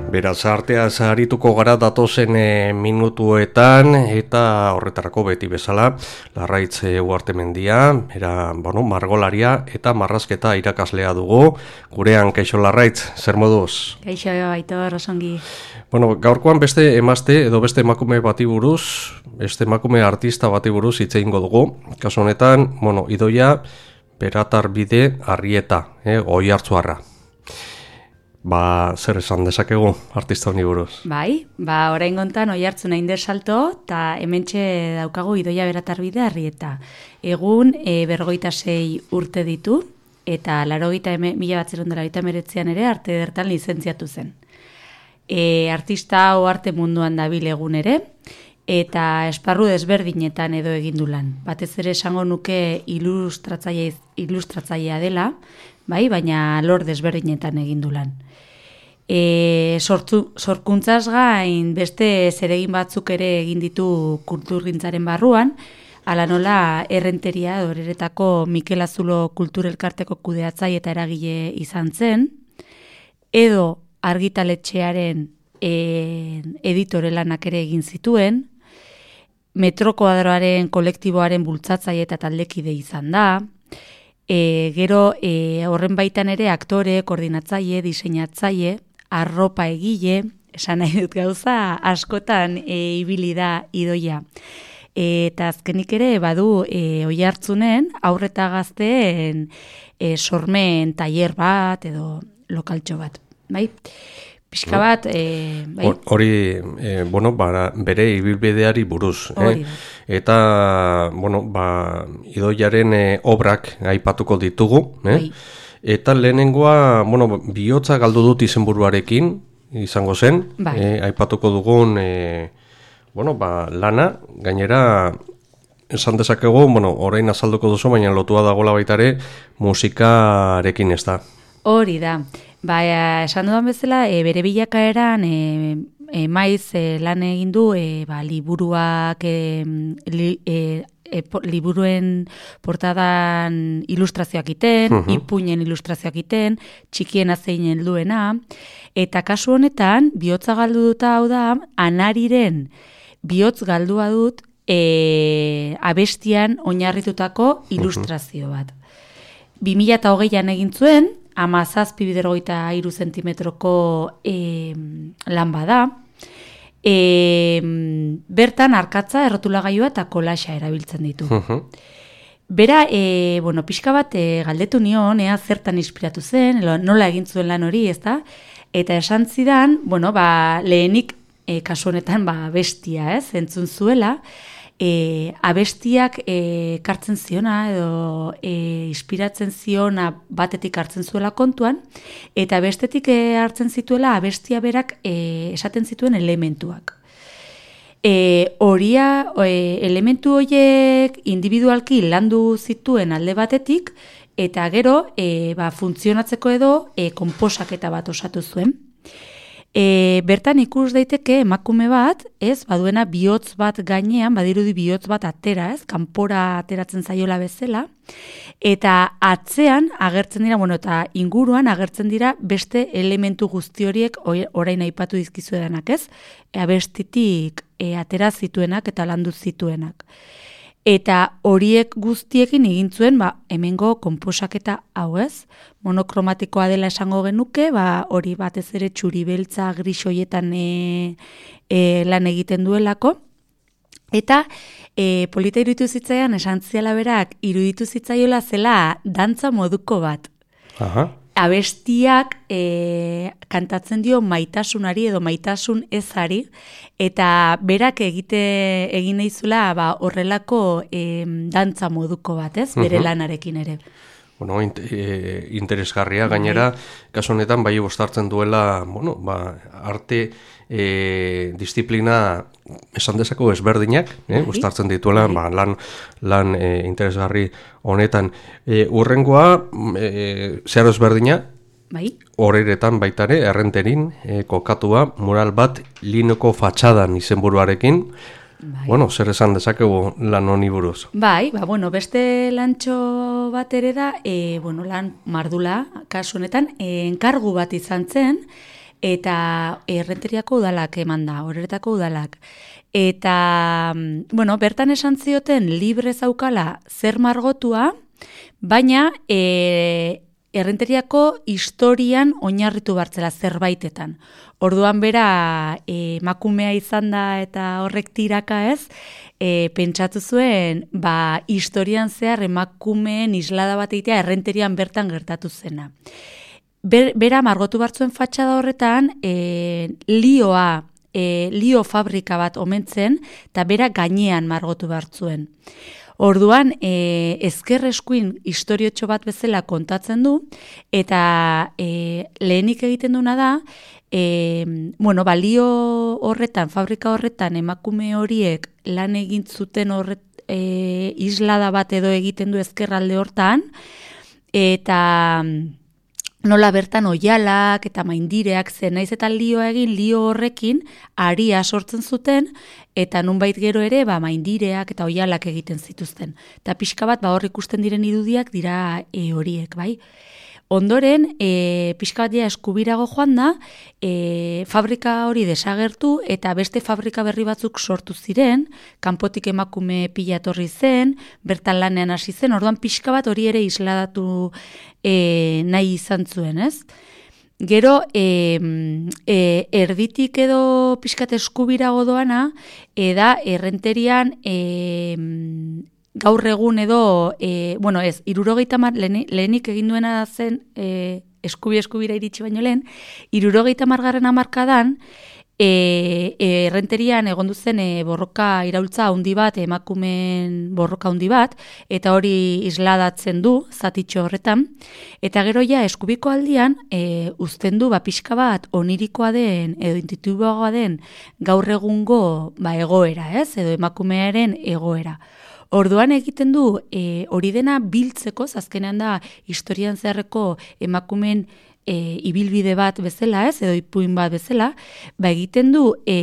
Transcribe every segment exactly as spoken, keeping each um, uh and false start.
Beraz, artea zaharituko gara datozen e, minutuetan eta horretarako beti bezala Larraitz Uhartemendia, era, bueno, margolaria eta marrazketa irakaslea dugu. Gurean, kaixo Larraitz, zer moduz? Kaixo, Aitor, osongi. Bueno, gaurkoan beste emazte edo beste emakume bati buruz, beste emakume artista bati buruz hitz egingo dugu. Kasu honetan, bueno, Idoia Beratarbide Arrieta, eh, Oiartzuarra. Ba, zer esan dezakegu artista honi buruz? Bai, ba, orain gontan Oiartzun hain salto, eta hementxe daukagu Idoia Beratarbide Arrieta. Egun, e, berrogeita sei urte ditu, eta larogeita mila batzerun dela eta meretzean ere arte edertan lizentziatu zen. E, artista hau arte munduan dabil egun ere, eta esparru desberdinetan edo egindu lan. Batez ere esango nuke ilustratzaile, ilustratzailea dela, bai, baina lor desberdinetan egindu lan. E, sortu, sorkuntzaz gain beste zeregin batzuk ere egin ditu kulturgintzaren barruan, ala nola errenteria doreretako Mikel Azulo kulturelkarteko kudeatzaile eta eragile izan zen, edo argitaletxearen e, editore lanak ere egin zituen, Metrokoadroaren kolektiboaren bultzatzaile eta taldekide izan da, e, gero e, horren baitan ere aktore, koordinatzaile, diseinatzaile, arropa egile, esan nahi dut gauza, askotan e, ibili da Idoia. E, eta azkenik ere badu e, Oiartzunen aurreta gazteen e, sormen tailer bat edo lokaltxo bat, bai? Pixka bat, e, bai? Hori, e, bueno, ba, bere ibilbideari buruz. Hori, eh? Eta, bueno, ba, Idoiaren e, obrak aipatuko ditugu. Eh? Bai. Eta lehenengoa, bueno, bihotza galdu dut izenburuarekin, izango zen. Bai. Eh, aipatuko dugun, e, bueno, ba, lana, gainera, esan dezakegu, bueno, orain azalduko duzu, baina lotua dagoela baita ere, musikarekin ez da. Hori da. Ba, esan dudan bezala, e, bere bilakaeran e, e, maiz e, lan egin du e, ba, liburuak, e, li, e, e, po, liburuen portadan ilustrazioak iten, uh-huh. ipuinen ilustrazioak iten, txikien azeinen duena, eta kasu honetan, bihotza galdu duta hau da, Anariren bihotz galdua dut e, abestian oinarritutako ilustrazio bat. bi mila hogeian egin zuen, amazazpi bidergoita iru zentimetroko e, lan bada. E, bertan arkatza, errotulagailua eta kolaxa erabiltzen ditu. Uh-huh. Bera, e, bueno, pixka bat e, galdetu nion, ea zertan inspiratu zen, nola egin zuen lan hori, ezta? Eta esan zidan, bueno, ba, lehenik e, kasu honetan ba, bestia, ez, entzun zuela, E, abestiak e, kartzen ziona edo e, inspiratzen ziona batetik hartzen zuela kontuan, eta bestetik e, hartzen zituela abestia berak e, esaten zituen elementuak. E, horia, e, elementu horiek individualki landu zituen alde batetik, eta gero e, ba, funtzionatzeko edo e, konposaketa bat osatu zuen. E, bertan ikus daiteke emakume bat, ez, baduena bihotz bat gainean, badirudi bihotz bat atera, ez, kanpora ateratzen zaiola bezala, eta atzean agertzen dira, bueno, eta inguruan agertzen dira beste elementu guzti horiek orain aipatu dizkizu edanak, ez, abestitik e, atera zituenak eta landu zituenak. Eta horiek guztiekin egin zuen, ba, hemengo konposaketa hau, ez? Monokromatikoa dela esango genuke, ba, hori batez ere txuri beltza gris hoietan e, e, lan egiten duelako. Eta e, polita iruditu zitzaian, esan ziala berak, iruditu zitzaiola zela dantza moduko bat. Aha. Abestiak e, kantatzen dio maitasunari edo maitasun ezari, eta berak egite egin naizula ba, horrelako e, dantza moduko bat, ez, bere uh-huh. lanarekin ere. Bueno, int, e, interesgarria, gainera, kasu honetan bai bostartzen duela, bueno, ba, arte e, disiplina esan dezako ezberdinak, eh, bostartzen dituela, ba, lan, lan e, interesgarri honetan. E, urrengoa, e, zehar ezberdina, bai. Horretan baitare, errenterin, e, kokatua, mural bat linoko fatxadan izenburuarekin. Bai. Bueno, zer esan dezakegu lan honi buruz? Bai, ba, bueno, beste lantxo bat ere da, e, bueno, lan mardula, kasu honetan, e, enkargu bat izan zen, eta Errenteriako udalak eman da, Horretako udalak. Eta, bueno, bertan esan zioten libre zaukala zer margotua, baina e, Errenteriako historian oinarritu bartzela zerbaitetan. Orduan bera emakumea izan da eta horrek tiraka ez, e, pentsatu zuen, ba, historian zehar emakumeen islada bat egitea Errenterian bertan gertatu zena. Ber, bera margotu bartzuen fatxada horretan, e, lioa, e, lio fabrika bat omentzen, eta bera gainean margotu bartzuen. Orduan, e, ezker eskuin historiotxo bat bezala kontatzen du, eta e, lehenik egiten duna da, e, bueno, balio horretan, fabrika horretan, emakume horiek lan egin zuten horret, e, islada bat edo egiten du ezkerralde hortan, eta nola bertan oialak eta maindireak zen, naiz eta lioa egin, lio horrekin aria sortzen zuten, eta nunbait gero ere ba, maindireak eta oialak egiten zituzten. Eta pixka bat ba, hor ikusten diren irudiak dira e, horiek, bai. Ondoren, e, pixka bat ja eskubirago joan da, e, fabrika hori desagertu eta beste fabrika berri batzuk sortu ziren, kanpotik emakume pila etorri zen, bertan lanean hasi zen, orduan pixka bat hori ere isladatu e, nahi izan zuen, ez? Gero, e, e, erditik edo pixkat eskubirago doana, eda Errenterian e, gaur egun edo, e, bueno ez, irurogeita mar, lehenik egin duena zen, e, eskubi eskubira iritsi baino lehen, irurogeita margarren hamarkadan, e, e, Errenterian egon duzen e, borroka iraultza handi bat, emakumeen borroka handi bat, eta hori isladatzen du, zatitxo horretan, eta gero ja eskubiko aldian, e, uzten du, ba, pixka bat, onirikoa den, edo intuitiboagoa den, gaur egungo ba, egoera, ez, edo emakumearen egoera. Orduan egiten du, e, hori dena biltzeko, azkenean da historian zeharreko emakumeen e, ibilbide bat bezala, ez, edo ipuin bat bezala, ba egiten du e,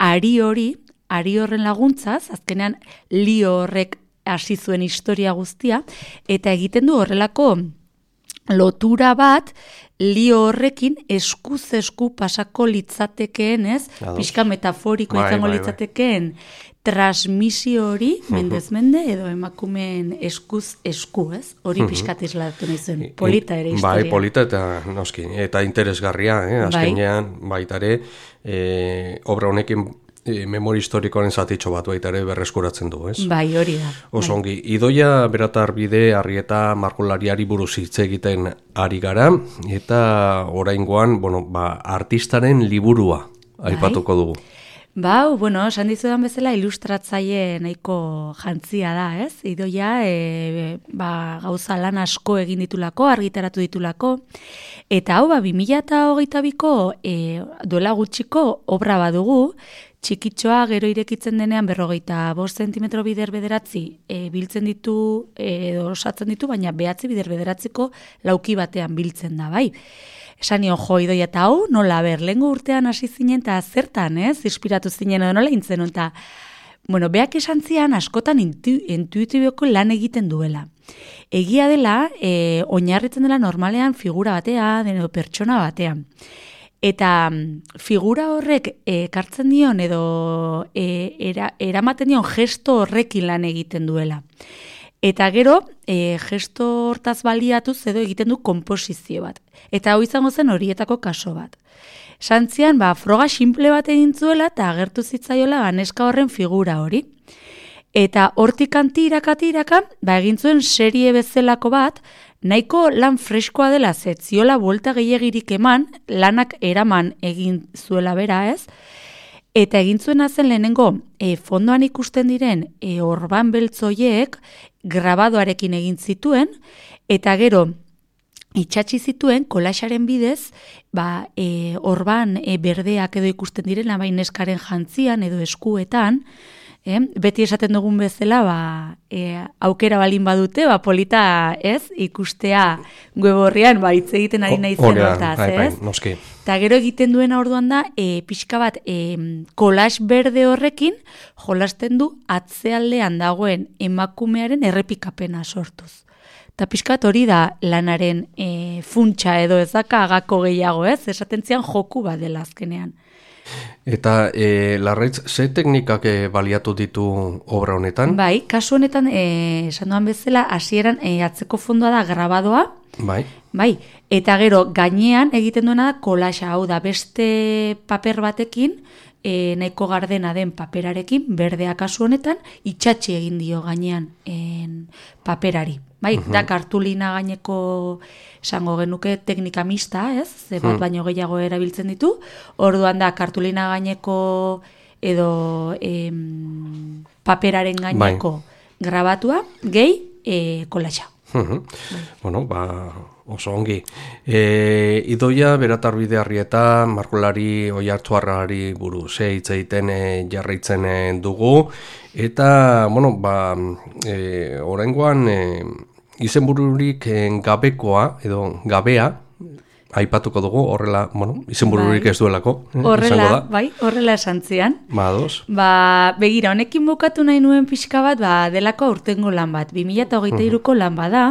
ari hori, ari horren laguntzaz, azkenean lio horrek hasi zuen historia guztia, eta egiten du horrelako lotura bat, lio horrekin eskuz esku pasako litzatekeen, ez? Pixka metaforiko bai, izango bai, litzatekeen transmisio hori, mendez mende, edo emakumeen eskuz esku, ez? Hori pixkat isladatu nahi zuen, polita ere historia. Bai, polita eta noski, eta interesgarria, eh? Azkenean, bai. Baitare, eh, obra honekin E, memori historikoaren zatitxo bat baita ere berreskuratzen du, ez? Bai, hori da. Oso ongi, Idoia Beratar Bide Arrieta margolariari buruz hitz egiten ari gara, eta oraingoan, bueno, ba, artistaren liburua aipatuko dugu. Ba, bueno, esan dizudan bezala ilustratzaile nahiko jantzia da, ez? Idoia, e, ba, gauza lan asko egin ditulako, argitaratu ditulako, eta hau, ba, bi mila hogeita biko e, duela gutxiko obra badugu, txikitxoa gero irekitzen denean berrogeita bost zentimetro bider bederatzi e, biltzen ditu, edo osatzen ditu, baina behatzi bider bederatziko lauki batean biltzen da, bai. Esan nion, jo, Idoia, eta hau, nola, ber, lehengo urtean hasi zinen, eta zertan, ez, inspiratu zinen, edo nola intzen, eta, bueno, beak esan zian, askotan intu, intuitibioko lan egiten duela. Egia dela, e, oinarritzen dela normalean figura batean, edo pertsona batean. Eta figura horrek ekartzen dion edo e, era, eramaten dion gesto horrekin lan egiten duela. Eta gero, e, gesto hortaz baliatuz edo egiten du konposizio bat. Eta hau izango zen horietako kaso bat. Santzian, ba, froga simple bat egin zuela eta agertu zitzaiola neska horren figura hori. Eta hortik antiraka tiraka, ba, egin zuen serie bezalako bat, nahiko lan freskoa dela zetziola buelta gehiagirik eman, lanak eraman egin zuela bera, ez? Eta egin zuena zen lehenengo, e, fondoan ikusten diren e, orban beltzoiek grabadoarekin egin zituen, eta gero itxatzi zituen kolaxaren bidez, ba, e, orban e, berdeak edo ikusten diren, bain neskaren jantzian edo eskuetan, Eh, beti esaten dugun bezala, ba, e, aukera balin badute, ba, polita, ez, ikustea web horrian, ba, hitz egiten ari nahi zen hortaz, ez? Noski. Eta gero egiten duena orduan da, e, pixka bat, e, kolax berde horrekin, jolasten du atzealdean dagoen emakumearen errepikapena sortuz. Eta pixkat hori da lanaren e, funtsa edo ezaka agako gehiago, ez? Esaten zian joku bat dela azkenean. Eta e, Larraitz, ze teknikak e, baliatu ditu obra honetan? Bai, kasu honetan, e, esan duan bezala, hasieran e, atzeko fondoa da grabadoa, bai. Bai, eta gero gainean egiten duena da kolaxa, hau da, beste paper batekin, e, nahiko gardena den paperarekin, berdea kasu honetan, itxatxi egin dio gainean en, paperari. Bai, uh-huh. Da kartulina gaineko esango genuke teknika mista, ez? Ze bat baino gehiago erabiltzen ditu. Orduan da kartulina gaineko edo em, paperaren gaineko bai. Grabatua, gehi e, kolaxa. Uh-huh. Bai. Bueno, ba, oso ongi. E, idoia beratarbide Arrieta, margolari Oiartzuarrari buruz hitz egiten e, jarraitzen e, dugu. Eta, bueno, ba, e, oraingoan e, izenbururik gabekoa edo gabea aipatuko dugu, horrela, bueno, izenbururik bai. Ez duelako. Eh, horrela, bai, horrela esan zian. Ba, dos. Ba, begira, honekin bukatu nahi nuen pixka bat, ba, delako aurtengo lan bat, bi mila hogeita hiruko lan bada.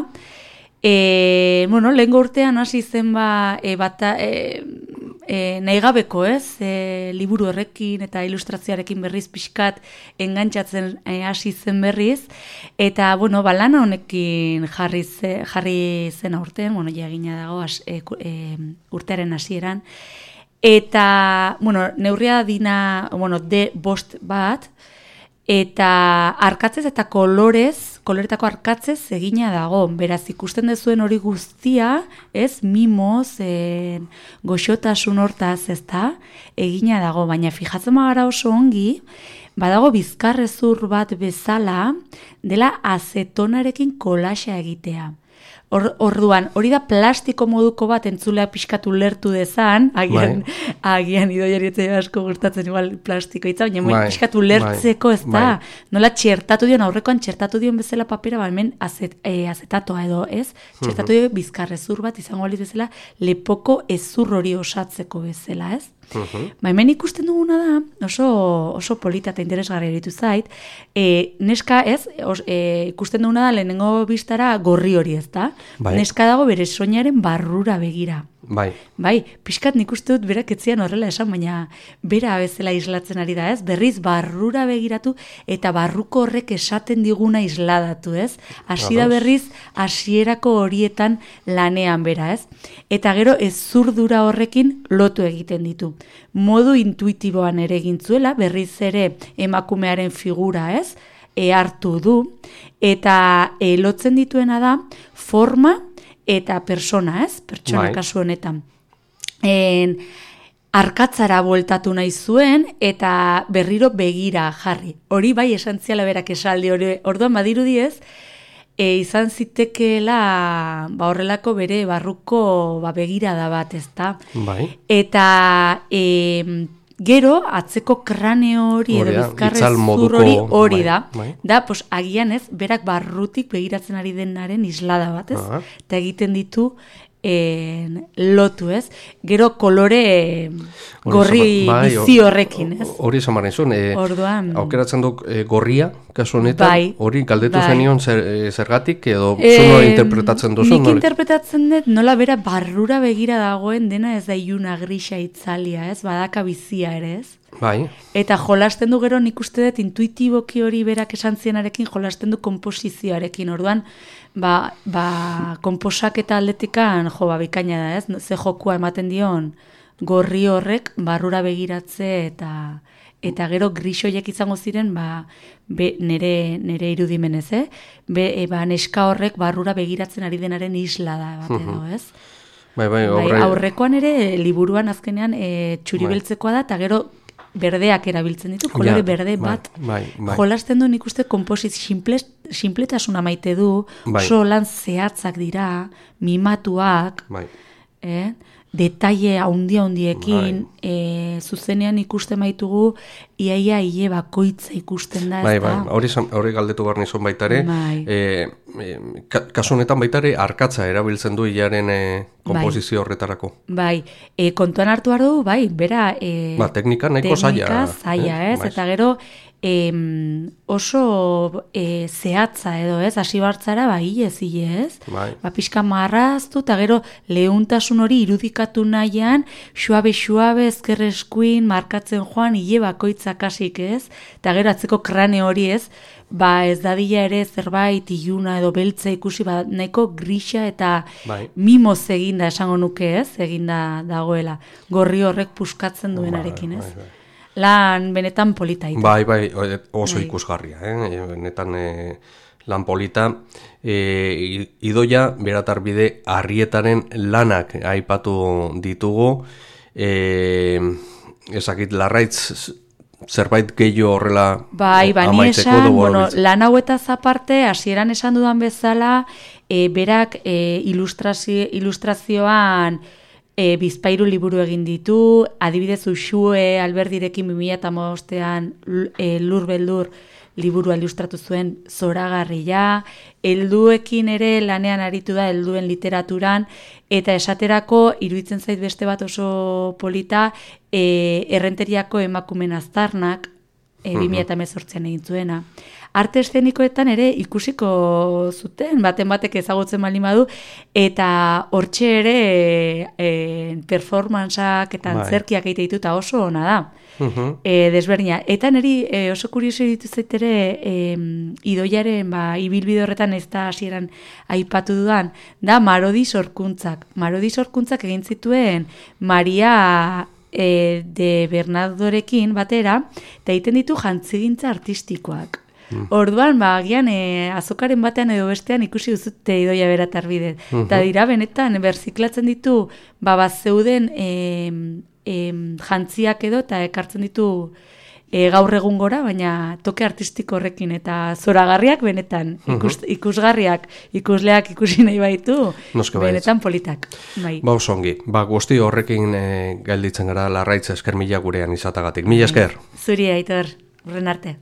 E, bueno, lehengo urtean hasi zen ba, e, bata, e, e, nahi gabeko, ez? E, liburu horrekin eta ilustrazioarekin berriz pixkat engantzatzen e, hasi zen berriz. Eta, bueno, ba, lana honekin jarri, ze, jarri zen aurten, bueno, jagina dago as, e, e, urtearen hasieran. Eta, bueno, neurria dina, bueno, de bost bat, eta arkatzez eta kolorez, koloretako arkatzez egina dago. Beraz, ikusten dezuen hori guztia, ez, mimoz, en, goxotasun hortaz, ez da, egina dago. Baina fijatzen magara oso ongi, badago bizkarrezur bat bezala, dela azetonarekin kolaxa egitea. Or, orduan, hori da plastiko moduko bat entzulea pixkatu lertu dezan, agian, bai. agian idoiarietze asko gustatzen igual plastiko itza, baina bai. Pixkatu lertzeko ez da, bai. Nola txertatu dion, aurrekoan txertatu dion bezala papera, ba, hemen azet, e, azetatoa edo ez, txertatu dion bizkarrezur bat, izango baliz bezala, lepoko ezur hori osatzeko bezala, ez? Uh-huh. Ba, hemen ikusten duguna da, oso, oso polita eta interesgarria eritu zait, e, neska ez, os, e, ikusten duguna da lehenengo biztara gorri hori ez da, bai. Neska dago bere soinaren barrura begira. Bai. Bai, pixkat nik uste dut berak etzian horrela esan, baina bera bezala islatzen ari da, ez? Berriz barrura begiratu eta barruko horrek esaten diguna isladatu, ez? Hasi da berriz hasierako horietan lanean bera, ez? Eta gero ez zurdura horrekin lotu egiten ditu. Modu intuitiboan ere egintzuela, berriz ere emakumearen figura, ez? E hartu du, eta e, lotzen dituena da forma eta persona, ez? Pertsona bai. Kasu honetan. En, arkatzara bueltatu nahi zuen eta berriro begira jarri. Hori bai esantziala berak esaldi hori. Orduan badirudi ez, e, izan zitekeela ba, horrelako bere barruko ba, begirada bat, ez da? Bai. Eta e, gero, atzeko kraneo hori edo bizkarrezur hori hori da. Bai. Da, pos, agian ez, berak barrutik begiratzen ari denaren islada bat, ez? Uh-huh. Eta egiten ditu en, lotu, ez? Gero kolore gorri bai, bizi horrekin, ez? Hori esan baren zuen, e, orduan aukeratzen duk e, gorria, kasu honetan, bai, hori galdetu bai. Zenion zer, e, zergatik, edo e, zuno interpretatzen duzu? Nik interpretatzen dut, nola bera barrura begira dagoen dena ez da iluna grisa itzalia, ez? Badaka bizia ere, ez? Bai. Eta jolasten du gero nik uste dut intuitiboki hori berak esan zienarekin jolasten du komposizioarekin. Orduan, ba, ba komposak eta aldetikan jo, ba, bikaina da, ez? Ze jokua ematen dion gorri horrek barrura begiratze eta eta gero grisoiek izango ziren ba, be, nere, nere irudimenez, eh? Be, e, ba, neska horrek barrura begiratzen ari denaren isla da bat edo, ez? Bai, bai, bai, aurrekoan ere liburuan azkenean e, txuribeltzekoa da, eta gero berdeak erabiltzen ditu, kolore ja, berde bat. Bai, bai. Jolasten du nik uste komposit sinpletasuna maite du, bai. Oso lan zehatzak dira, mimatuak, bai. eh? Detaile haundi-haundiekin, bai. e, zuzenean ikusten baitugu, iaia hile bakoitza ikusten da. Bai, bai, hori, hori galdetu behar nizun baitare, bai. e, e, kasu honetan baita ere arkatza erabiltzen du hilaren e, komposizio bai. horretarako. Bai, e, kontuan hartu behar du, bai, bera... E, ba, teknika nahiko zaila. Teknika zaila, ez, eh? Eta gero e, oso e, zehatza edo, ez, hasi bartzara, ba, hile zile, ez? Bai. Ba, pixka marraztu, eta gero lehuntasun hori irudikatu nahian, xuabe-xuabe, ezkerreskuin, markatzen joan, hile bakoitzak hasik, ez? Eta gero atzeko krane hori, ez? Ba, ez dadila ere zerbait iluna edo beltza ikusi, ba, nahiko grisa eta bai. mimoz eginda esango nuke, ez? Eginda dagoela. Gorri horrek puskatzen duenarekin, ez? Bai, bai, bai. Lan benetan polita ita. Bai, bai, oso bai. ikusgarria, eh? Benetan e, lan polita. E, idoia, beratarbide, Arrietaren lanak aipatu ditugu. E, ezakit, Larraitz... zerbait gehiago horrela bai, bani esan, bueno, lan hauetaz aparte, hasieran esan dudan bezala, e, berak e, ilustrazio, ilustrazioan e, Bizpahiru liburu egin ditu, adibidez Uxue Alberdirekin bi mila hamabostean e, Lur Beldur liburua ilustratu zuen zoragarria, helduekin ere lanean aritu da helduen literaturan, eta esaterako iruditzen zait beste bat oso polita, e, Errenteriako emakumen aztarnak, e, bi mila hemezortzian egin zuena. Arte eszenikoetan ere ikusiko zuten, baten batek ezagutzen baldin badu, eta hortxe ere e, performantzak eta antzerkiak egite ditu, eta oso ona da. Uh-huh. E, desberdina. Eta niri e, oso kurioso ditu zaitere e, idoiaren ba, ibilbide horretan ez da hasieran aipatu dudan, da Marodi sorkuntzak. Marodi sorkuntzak egin zituen Maria e, de Bernardorekin batera, eta egiten ditu jantzigintza artistikoak. Mm. Orduan, ba, agian e, azokaren batean edo bestean ikusi duzute idoia beratarbide. Eta uh-huh. dira, benetan, berziklatzen ditu, ba, bat zeuden e, e, jantziak edo, eta ekartzen ditu e, gaur egun gora, baina toke artistiko horrekin, eta zoragarriak benetan, ikus, uh-huh. ikusgarriak, ikusleak ikusi nahi baitu, benetan politak. Bai. Ba, osongi, ba, guzti horrekin e, galditzen gara Larraitz esker mila gurean izatagatik. Mila esker. Zuri, Aitor, urren arte.